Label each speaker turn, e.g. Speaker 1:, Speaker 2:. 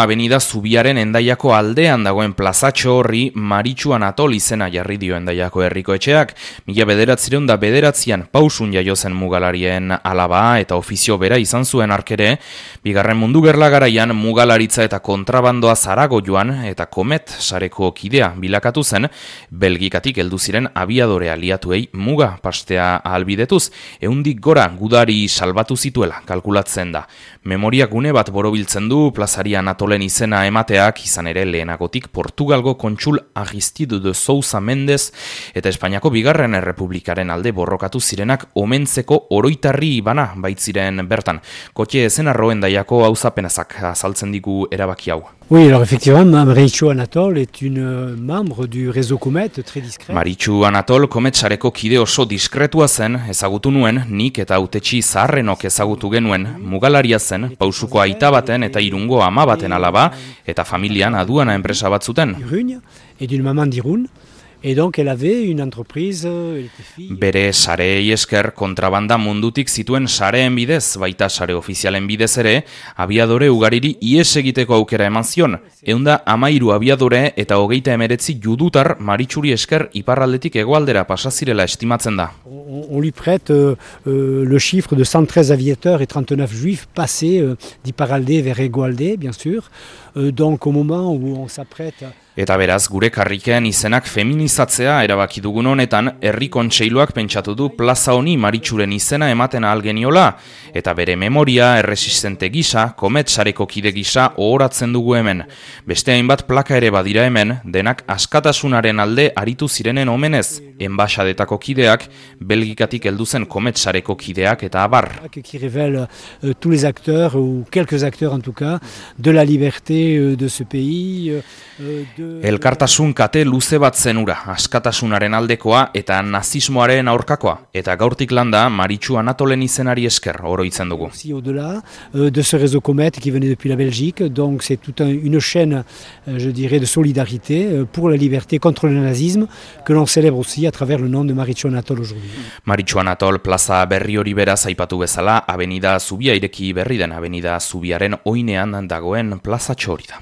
Speaker 1: Avenida Zubiaren Hendaiako aldean dagoen plazatxo horri Maritxu Anatol izena jarri dio Hendaiako herriko etxeak. 1909 Pausun jaio zen mugalarien alaba eta ofizio bera izan zuen arkere. Bigarren Mundu Gerla garaian mugalaritza eta kontrabandoa Zaragoioan eta Komet sareko kidea bilakatu zen, Belgikatik heldu ziren abiadore aliatuei muga pastea ahalbidetuz, 100 gora gudari salbatu zituela kalkulatzen da. Memoria gune bat borobiltzen du plazari Anatolen izena emateak, izan ere lehenagotik Portugalgo kontsul Aristido de Sousa Mendez eta Espainiako bigarren errepublikaren alde borrokatu zirenak omentzeko oroitarri bana baitziren bertan. Kotxe ezenarro Hendaiako auzapenazak azaltzen digu erabaki hau.
Speaker 2: Oui, alors effectivement, Maritxu Anatol est une membre du réseau Comet, très discret.
Speaker 1: Maritxu Anatol Komet sareko kide oso diskretua zen, ezagutu nuen, nik eta hautetsi zaharrenok ezagutu genuen, mugalaria zen, Pausuko aita baten eta Irungo ama baten alaba, eta familian aduana enpresa bat zuten.
Speaker 2: Et d'une maman d'Irun. Et donc elle avait une entreprise, elle était fille.
Speaker 1: Bere sareei esker kontrabanda mundutik zituen sareen bidez, baita sare ofizialen bidez ere, abiadore ugariri ihes egiteko aukera eman zion. 113 abiadore eta 39 judutar Maritxuri esker iparraldetik hegoaldera pasa zirela estimatzen da.
Speaker 2: On lui prête le chiffre de 113 aviateurs et 39 juifs passés d'Iparralde vers Hegoalde, bien sûr. Donc au moment où on s'apprête
Speaker 1: Eta beraz, gure karrikean izenak feminizatzea erabaki dugun honetan, herri kontseiluak pentsatu du plaza honi Maritxuren izena ematen ahal geniola, eta bere memoria erresistente gisa, Komet sareko kide gisa ohoratzen dugu hemen. Beste hainbat plaka ere badira hemen, denak askatasunaren alde aritu zirenen omenez, enbaxadetako kideak, Belgikatik heldu zen Komet sareko kideak eta abar.
Speaker 2: Qui révèle tous les acteurs, ou quelques acteurs en tout cas, de la liberté de ce pays.
Speaker 1: Elkartasun kate luze bat zenura, askatasunaren aldekoa eta nazismoaren aurkakoa, eta gaurtik landa Maritxu Anatolen izenari esker oroitzen dugu.
Speaker 2: Aussi au-delà de ce réseau Comet qui venait depuis la Belgique, donc c'est toute une chaîne, je dirais, de solidarité pour la liberté contre le nazisme que l'on célèbre aussi à travers le nom de Maritxu Anatol aujourd'hui.
Speaker 1: Maritxu Anatol plaza berri hori beraz aipatu bezala, Avenida Zubia ireki berri den Avenida Zubiaren oinean dagoen plazatxo hori da.